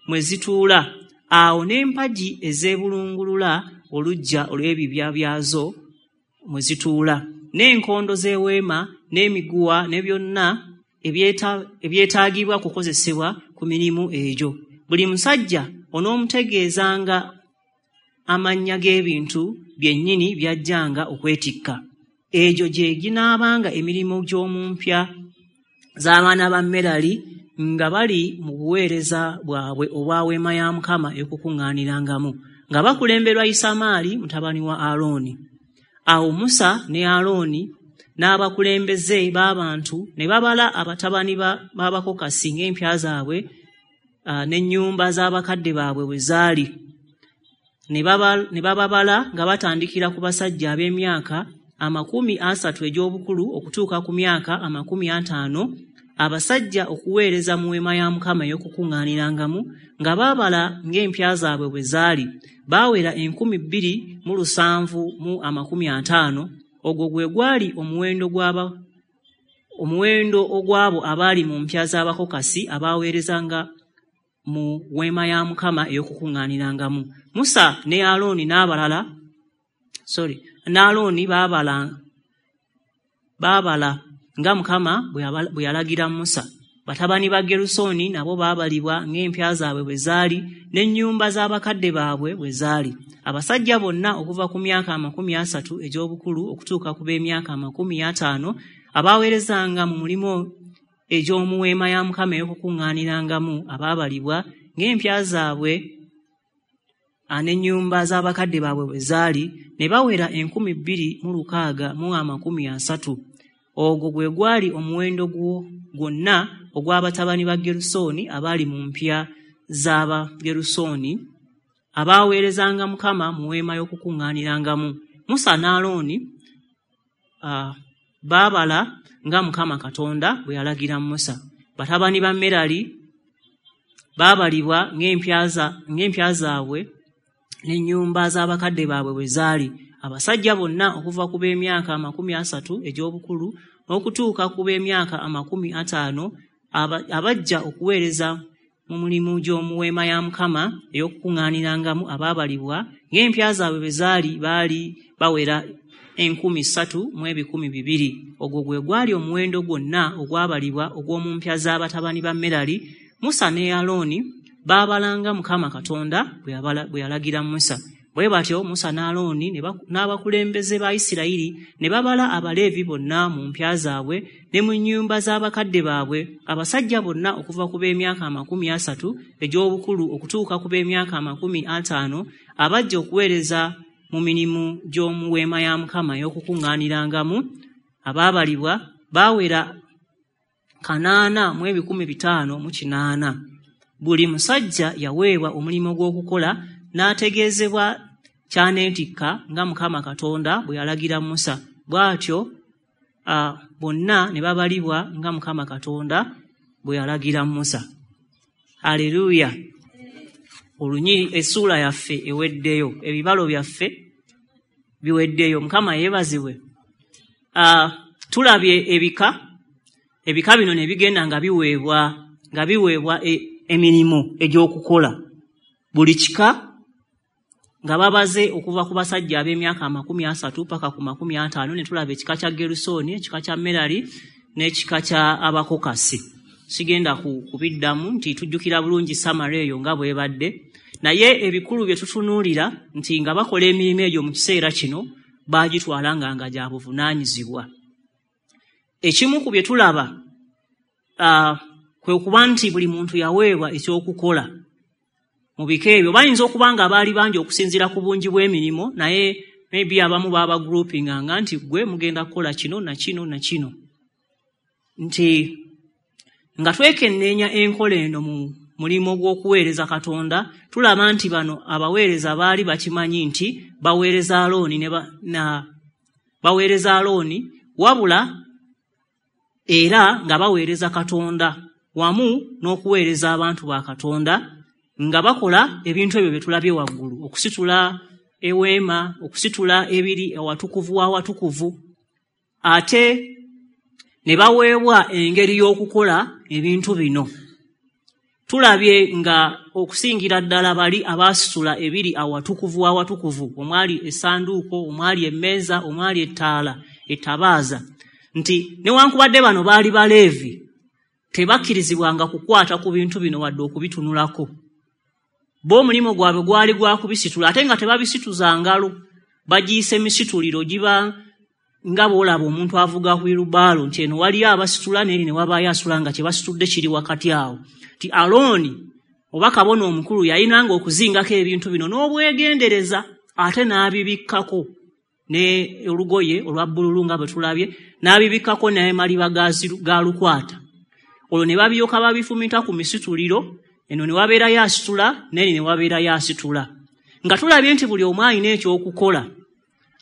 mwe zituula, awo n'empagi ezeebulungulula oluggya olw'ebibya byazo mwe zituula, n'enkondo z'eweema n'emiguwa ne byonna ebyetaagibwa kukozesebwa ku mirimu egyo. Buli musajja onoomutegeezanga amannya g'ebintu byennyini by'ajjanga okwetikka. Egyo gye ginaabanga emirimu gy'omu mpya z'abaana ba Merali nga bali mu buweereza bwabwe obwa weema ya Mukama ey'okukuŋŋaanirangamu, nga bakulemberwa Isamaali mutabani wa Alooni. Awo Musa ne Alooni n'abakulembeze b'abantu ne babala abatabani b'Abakokasi ng'empya zaabwe n'ennyumba z'abakadde baabwe bwe zaali. Ne bababala nga batandikira ku basajja ab'emyaka 30 egy'obukulu okutuuka ku myaka 50, abasajja okuweereza mu weema ya Mukama ey'okukuŋŋaanirangamu, nga baabala ng'empya zaabwe bwe zaali. Baawera 2750. Ogwo gwe gwali omuwendo ogw'abo abaali mu mpya z'Abakokasi abaweerezanga mu weema ya Mukama ey'okukuŋŋaanirangamu. Musa ne Alooni n'abalala n'Alooni baabala nga Mukama bwe yalagira Musa. Batabani ba Gerusooni nabo baabalibwa ng'empya zaabwe bwe zaali n'ennyumba z'abakadde baabwe bwe zaali. Abasajja bonna okuva ku myaka 30 egy'obukulu okutuuka ku b'emyaka 50 abaweerezanga mu mulimu egy'omu weema ya Mukama ey'okukuŋŋaanirangamu abaabalibwa ng'empya zaabwe n'ennyumba z'abakadde baabwe bwe zaali, ne bawera 2630. Ogwo gwe gwali omuwendo gwonna ogw'abatabani ba Gerusooni abaali mu mpya z'Abagerusooni abaweerezanga Mukama mu weema y'okukuŋŋaanirangamu. Musa ne Alooni baabala nga Mukama Katonda bwe yalagira Musa. Batabani ba Merali baabalibwa ng'empya zaabwe n'ennyumba z'abakadde baabwe bwe zaali. Abasajja bonna okuva ku b'emyaka 30 egy'obukulu n'okutuuka ku b'emyaka 50 abajja okuweereza mu mulimu gy'omu weema ya Mukama ey'okukuŋŋaanirangamu abaabalibwa ng'empya zaabwe bwe zaali, baali bawera 3200. Ogwo gwe gwali omuwendo gwonna ogwabalibwa ogw'omu mpya z'abatabani ba Merali. Musa ne Alooni baabalanga Mukama Katonda bwe yalagira Musa. Bwe batyo Musa ne Alooni n'abakulembeze ba Isirayiri ne babala Abaleevi bonna mu mpya zaabwe ne mu nnyumba z'abakadde baabwe, abasajja bonna okuva ku b'emyaka 30 egy'obukulu okutuuka ku b'emyaka 50 abajja okuweereza mu mirimu gy'omu weema ya Mukama ey'okukuŋŋaanirangamu. Abaabalibwa baawera 8,508. Buli musajja yaweebwa omulimu gw'okukola n'ategeezebwa ky'aneetikka nga Mukama Katonda bwe yalagira Musa. Bw'atyo bonna ne babalibwa nga Mukama Katonda bwe yalagira Musa. Aleluya! Essuula yaffe eweddeyo, ebibalo byaffe biweddeyo. Mukama yeebazibwe. Tulabye ebika bino ne bigenda nga biweebwa emirimu egy'okukola. Buli kika nga babaze okuva ku basajja ab'emyaka 30 paka ku 50, ne tulaba ekika kya Gerusooni, ekika kya Merali n'ekika kya Abakokasi. Sigenda kubiddamu nti tujjukira bulungi samara eyo nga bw'ebadde, naye ebikulu bye tutunuulira nti nga bakola emirimu egyo mu kiseera kino baagitwala nga gya buvunaanyizibwa. Ekimu ku bye tulaba kwe kuba nti buli muntu yaweebwa ekyokukola mu bika ebyo. Bayinza okuba nga baali bangi okusinziira ku bungi bw'emirimu, naye maybe abamu baaba groupinganga nti gwe mugenda kukola kino na kino na kino. Nti nga twekenneenya enkola eno mu mulimu gw'okuweereza Katonda, tulaba nti bano abaweereza baali bakimanyi nti baweereza Alooni wabula era nga baweereza Katonda wamu n'okuweereza abantu ba Katonda, nga bakola ebintu ebyo bye tulabye waggulu, okusitula eweema, okusitula ebiri awatukuvu w'awatukuvu, ate ne baweebwa engeri y'okukola ebintu bino. Tulabye nga okusingira ddala bali abaasitula ebiri awatukuvu w'awatukuvu, omwali essanduuko, omwali emmeeza, omwali ettaala, ettabaaza, nti newankubadde bano baali Baleevi, tebakkirizibwanga kukwata ku bintu bino wadde okubitunulako. Bo omulimu gwabwe gwali gwa kubisitula, ate nga tebabisituza ngalo, bagiyise misituliro giba nga bw'olaba omuntu avuga wheelbarrow nti eno waliyo abasitula n'eri ne wabaayo asitula nga kye basitudde kiri wakati awo. Nti Alooni oba kabona omukulu yayinanga okuzingako ebintu bino n'obwegendereza ate n'abibikkako ne olugoye olwa bbululu nga bwe tulabye, n'abibikkako n'amaliba ga lukwata. Olwo ne babyoka babifumita ku misituliro, eno ne wabeerayo asitula n'eri ne wabeerayo asitula. Nga tulabye nti buli omu alina ekyokukola,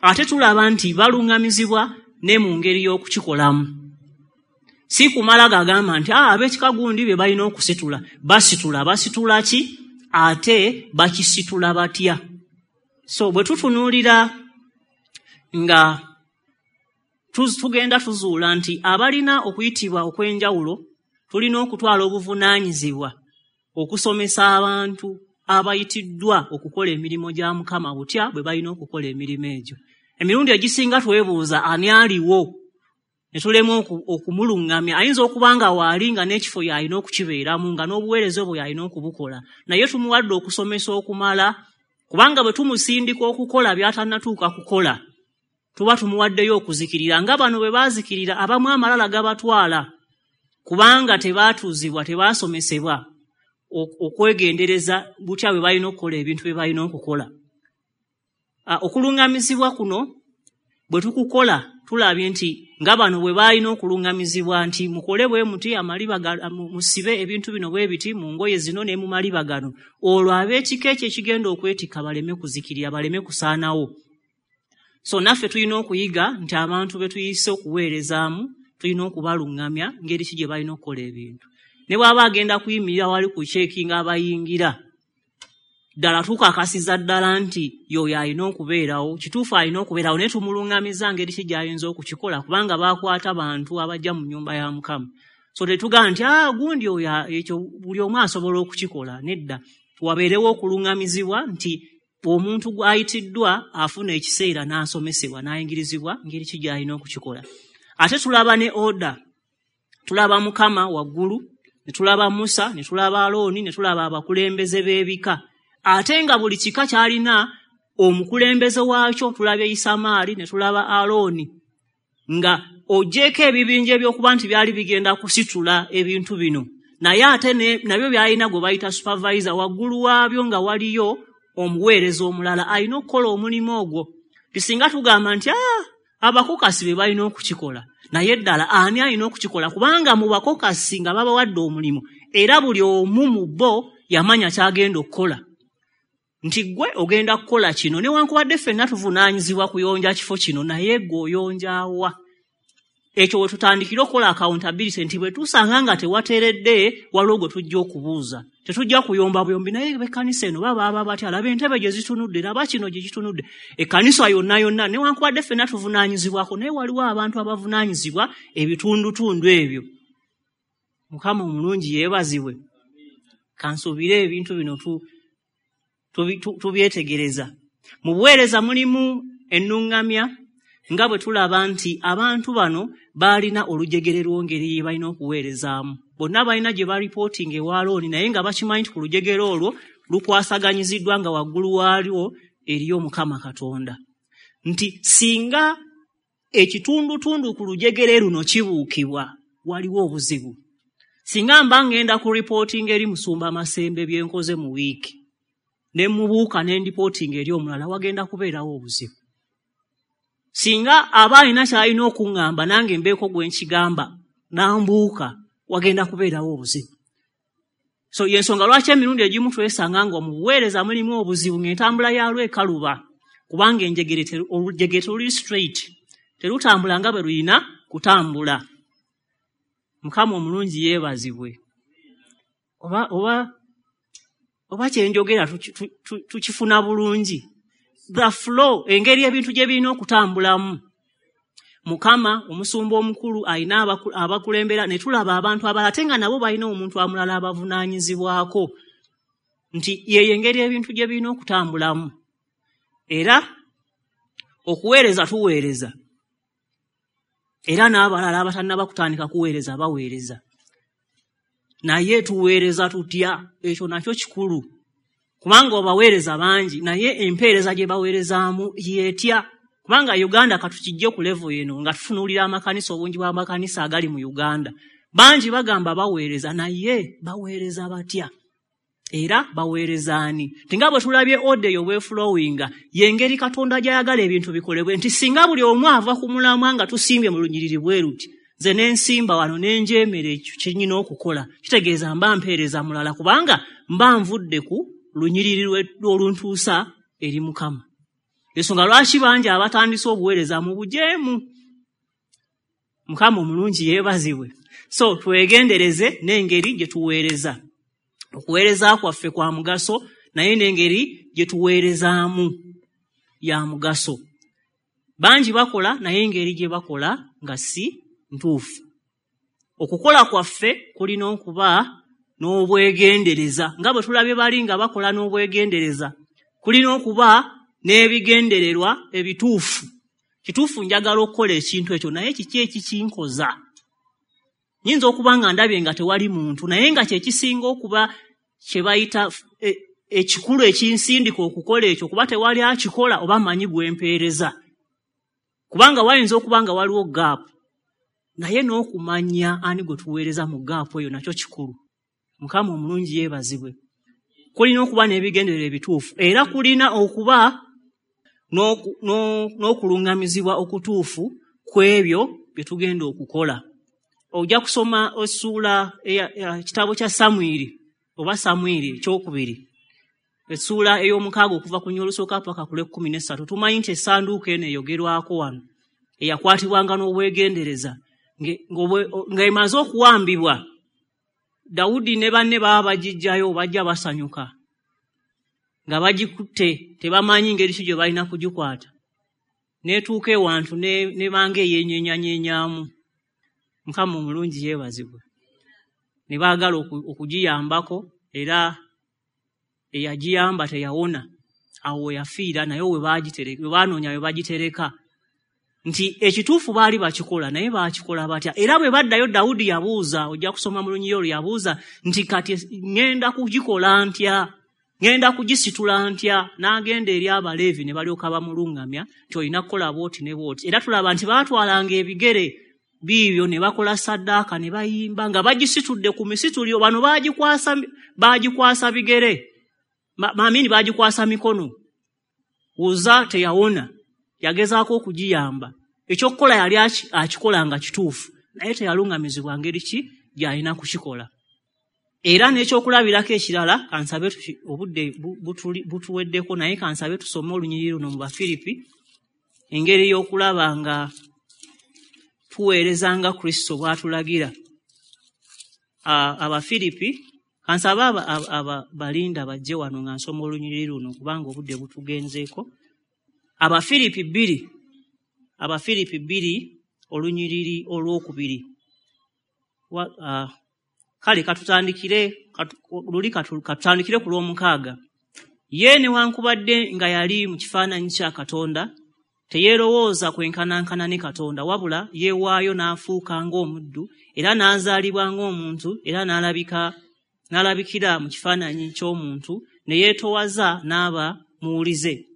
ate tulaba nti baluŋŋamizibwa ne mu ngeri y'okukikolamu. Si kumala gagamba nti ab'ekika gundi bye balina okusitula, basitula, basitula ki ate bakisitula batya? So bwe tutunuulira nga tugenda tuzuula nti abalina okuyitibwa okw'enjawulo tulina okutwala obuvunaanyizibwa okusomesa abantu abayitiddwa okukola emirimu gya Mukama butya bwe balina okukola emirimu egyo. Emirundi egisinga twebuuza ani aliwo ne tulema okumuluŋŋamya. Ayinza okuba nga waali nga n'ekifo y'alina okukibeeramu nga n'obuweereza obwo y'alina okubukola, naye tumuwadde okusomesa okumala, kubanga bwe tumusindika okukola by'atannatuuka kukola tuba tumuwaddeyo okuzikirira. Nga bano bwe baazikirira abamu amalala gabatwala kubanga tebaatuuzibwa, tebaasomesebwa okwegendereza butya bwe balina okukola ebintu bye balina okukola. Okuluŋŋamizibwa kuno bwe tukukola tulabye nti nga bano bwe balina okuluŋŋamizibwa nti mukole bwe muti, amaliba musibe ebintu bino bwe biti mu ngoye zino ne mu maliba gano, olwo ab'ekika ekyo ekigenda okwetikka baleme kuzikirira, baleme kusaanawo. So naffe tulina okuyiga nti abantu be tuyise okuweerezaamu tulina okubaluŋŋamya ngeri ki gye balina okukola ebintu. Ne bw'aba agenda kuyimirira wali ku ceekinga abayingira, ddala tukakasiza ddala nti y'oyo alina okubeerawo, kituufu alina okubeerawo, naye tumuluŋŋamiza ngeri ki gy'ayinza okukikola, kubanga baakwata bantu abajja mu nnyumba ya Mukama. So tetugamba nti gundi oyo ekyo buli omu asobola okukikola, nedda. Wabeerewo okuluŋŋamizibwa nti omuntu gw'ayitiddwa afuna ekiseera n'asomesebwa n'ayingirizibwa ngeri ki gy'alina okukikola. Ate tulaba ne order, tulaba Mukama waggulu, ne tulaba Musa, ne tulaba Alooni, ne tulaba abakulembeze b'ebika. Ate nga buli kika kyalina omukulembeze waakyo, tulabye Isamaali ne tulaba Alooni, nga ogyeko ebibinja ebyokuba nti byali bigenda kusitula ebintu bino, naye ate nabyo byalina gwe bayita supervisor, waggulu waabyo nga waliyo omuweereza omulala alina okukola omulimu ogwo. Tisinga tugamba nti abakokasi be balina okukikola, naye ddala ani alina okukikola? Kubanga mu bakokasi nga babawadde omulimu, era buli omu mu bo yamanya ky'agenda okukola. Nti ggwe ogenda kukola kino, newankubadde ffenna tuvunaanyizibwa kuyonja kifo kino, naye ggwe oyonja wa? Ekyo we tutandikira okukola accountability nti bwe tusanga nga tewateredde, waliwo gwe tujja okubuuza. Tetujja kuyomba buyombi, naye ekkanisa eno baba batya, laba entebe gye zitunudde, laba kino gye kitunudde. Ekkanisa yonna yonna newankubadde ffenna tuvunaanyizibwako, naye waliwo abantu abavunaanyizibwa ebitundutundu ebyo. Mukama omulungi yeebazibwe. Kansuubire ebintu bino tubyetegereza. Mu buweereza mulimu ennuŋŋamya nga bwe tulaba nti abantu bano baalina olujegere lw'engeri gye balina okuweerezaamu. Bonna balina gye baripootinga ewa Alooni, naye nga bakimanyi nti ku lujegere olwo lukwasaganyiziddwa nga waggulu waalwo eriyo Mukama Katonda. Nti singa ekitundutundu ku lujegere luno kibuukibwa, waliwo obuzibu. Singa mba ngenda ku ripootinga eri Musumba Masembe bye nkoze mu wiiki, ne mubuuka ne ndipootinga eri omulala, wagenda kubeerawo obuzibu. Singa aba alina ky'alina okuŋŋamba nange mbeeko gwe nkigamba n'ambuuka, wagenda kubeerawo obuzibu. So y'ensonga lwaki emirundi egimu twesanga nga mu buweereza mulimu obuzibu ng'entambula yaalwo ekaluba, kubanga enjegere olujegere teruli straight, terutambula nga bwe lulina kutambula. Mukama omulungi yeebazibwe. Oba kye njogera tukifuna bulungi. The flow, engeri ebintu gye birina okutambulamu. Mukama omusumba omukulu alina abakulembera, ne tulaba abantu abalala ate nga nabo balina omuntu amulala abavunaanyizibwako, nti yeyo engeri ebintu gye birina okutambulamu. Era okuweereza tuweereza, era n'abalala abatannaba kutandika kuweereza baweereza, naye tuweereza tutya? Ekyo nakyo kikulu. Kubanga obaweereza bangi, naye empeereza gye baweerezaamu y'etya? Kubanga Uganda katukijje ku level eno nga tutunuulira amakanisa, obungi bw'amakanisa agali mu Uganda. Bangi bagamba baweereza, naye baweereza batya? Era baweereza ani? Tinga bwe tulabye order eyo bweflowinga, y'engeri Katonda gy'ayagala ebintu bikolebwe, nti singa buli omu ava ku mulamwa nga tusimbye mu lunyiriri bwe luti, nze ne nsimba wano ne njeemera ekyo kye nnina okukola, kitegeeza mba mpeereza mulala, kubanga mba nvudde ku lunyiriri oluntuusa eri Mukama. Ensonga lwaki bangi abatandise obuweereza mu bujeemu. Mukama omulungi yeebazibwe. So twegendereze n'engeri gye tuweereza. Okuweereza kwaffe kwa mugaso, naye n'engeri gye tuweerezaamu ya mugaso. Bangi bakola, naye engeri gye bakola nga si ntuufu. Okukola kwaffe kulina okuba n'obwegendereza, nga bwe tulabye bali nga bakola n'obwegendereza. Kulina okuba n'ebigendererwa ebituufu. Kituufu njagala okukola ekintu ekyo, naye kiki ekikinkoza? Nyinza okuba nga ndabye nga tewali muntu, naye nga kye kisinga okuba kye bayita ekikulu ekinsindika okukola ekyo, kuba tewali akikola oba manyi gwempeereza. Kubanga wayinza okuba nga waliwo gaapu, naye n'okumanya ani gwe tuweereza mu gaapu eyo nakyo kikulu. Mukama omulungi yeebazibwe. Kulina okuba n'ebigendererwa ebituufu, era kulina okuba n'okuluŋŋamizibwa okutuufu ku ebyo bye tugenda okukola. Ojja kusoma essuula ekitabo kya Samwiri oba Samwiri ekyokubiri, essuula ey'omukaaga okuva ku nnya olusooka paka ku lw'ekkumi n'essatu. Tumanyi nti essanduuko eno eyogerwako wano eyakwatibwanga n'obwegendereza ng'emaze okuwambibwa, Dawudi ne banne baba bagiggyayo, bajja basanyuka nga bagikutte, tebamanyi ngeri ki gye balina kugikwata. N'etuuka ewantu ne banga eyeenyeenyanyeenyamu. Mukama omulungi yeebazibwe. Ne baagala okugiyambako, era eyagiyamba teyawona, awo we yafiira, naye we baanoonya we bagitereka. Nti ekituufu baali bakikola, naye baakikola batya? Era bwe baddayo Dawudi yabuuza, ojja kusoma mu lunyiriri olwo, yabuuza nti kati ŋŋenda kugikola ntya? Ŋŋenda kugisitula ntya? N'agenda eri Abaleevi ne balyoka bamuluŋŋamya nti olina kukola bw'oti ne bw'oti. Era tulaba nti baatwalanga ebigere biibyo ne bakola saddaaka ne bayimba nga bagisitudde ku misituliro. Bano baagikwasa bigere, maamini baagikwasa mikono. Uza teyawona, yagezaako okugiyamba. Ekyokukola yali akikola nga kituufu, naye teyaluŋŋamizibwa ngeri ki gy'alina kukikola. Era n'ekyokulabirako ekirala, kansabe obudde butuweddeko, naye kansabe tusome olunyiriri luno mu Bafiripi, engeri y'okulaba nga tuweereza nga Kristo bw'atulagira. Abafiripi, kansabe balinda bajje wano nga nsoma olunyiriri luno kubanga obudde butugenzeeko. Abafiripi 2, Abafiripi 2 olunyiriri olwokubiri. Kale katutandikire katutandikire ku lw'omukaaga. Ye newankubadde nga yali mu kifaananyi kya Katonda, teyeerowooza kwenkanankana ne Katonda, wabula yeewaayo n'afuuka ng'omuddu, era n'azaalibwa ng'omuntu, era n'alabikira mu kifaananyi ky'omuntu, ne yeetoowaza n'aba muwulize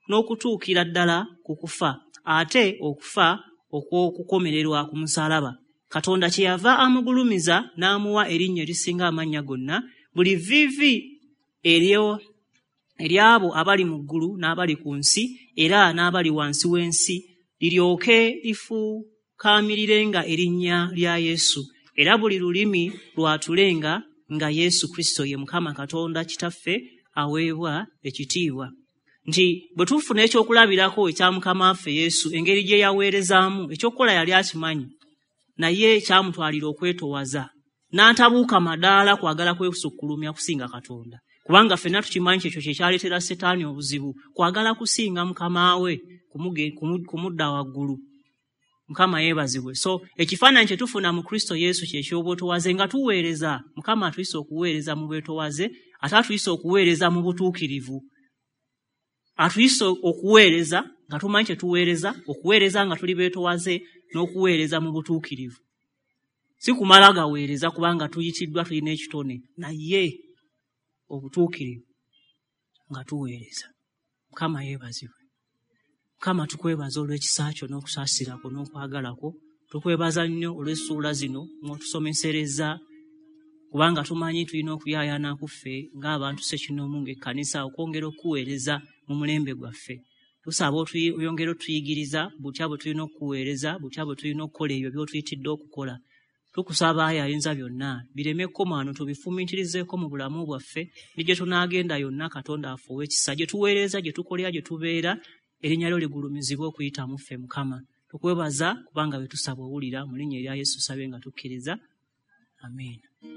n'okutuukira ddala ku kufa, ate okufa okw'okukomererwa ku musaalaba. Katonda kyeyava amugulumiza n'amuwa erinnya erisinga amannya gonna, buli vviivi ery'abo abali mu ggulu n'abali ku nsi era n'abali wansi w'ensi liryoke lifukaamirirenga erinnya lya Yesu, era buli lulimi lwatulenga nga Yesu Kristo ye Mukama Katonda Kitaffe aweebwa ekitiibwa. Nti bwe tufuna ekyokulabirako ekya Mukama waffe Yesu, engeri gye yaweerezaamu, ekyokukola yali akimanyi, naye kyamutwalira okwetowaza n'atabuuka madaala kwagala kwesukkulumya kusinga Katonda. Kubanga ffenna tukimanyi ekyo kye kyaleetera Setaani obuzibu, kwagala kusinga Mukama we, kumudda waggulu. Mukama yeebazibwe. So ekifaananyi kye tufuna mu Kristo Yesu kye ky'obwetowaze nga tuweereza. Mukama atuyise okuweereza mu bwetowaze, ate atuyise okuweereza mu butuukirivu. Atuyise okuweereza nga tumanyi kye tuweereza, okuweereza nga tuli beetowaze, n'okuweereza mu butuukirivu. Si kumala gaweereza kubanga tuyitiddwa, tulina ekitone, naye obutuukirivu nga tuweereza. Mukama yeebazibwe. Mukama tukwebaza olw'ekisa kyo n'okusaasira kwo n'okwagala kwo. Tukwebaza nnyo olw'essuula zino mw'otusomeserezza, kubanga tumanyi tulina okuyaayaana ku ffe ng'abantu ssekinnoomu ng'ekkanisa okwongera okuweereza mu mulembe gwaffe. Tusaba oyongere otuyigiriza butya bwe tulina okuweereza, butya bwe tulina okukola ebyo by'otuyitidde okukola. Tukusaba ayi ayinza byonna bireme kkoma wano, tubifumiitirizeeko mu bulamu bwaffe ne gye tunaagenda yonna. Katonda waffe ow'ekisa, gye tuweereza, gye tukolera, gye tubeera, erinnya lyo ligulumizibwe okuyita mu ffe. Mukama tukwebaza kubanga bwe tusaba owulira. Mu linnya erya Yesu tusabye nga tukkiriza, amiina.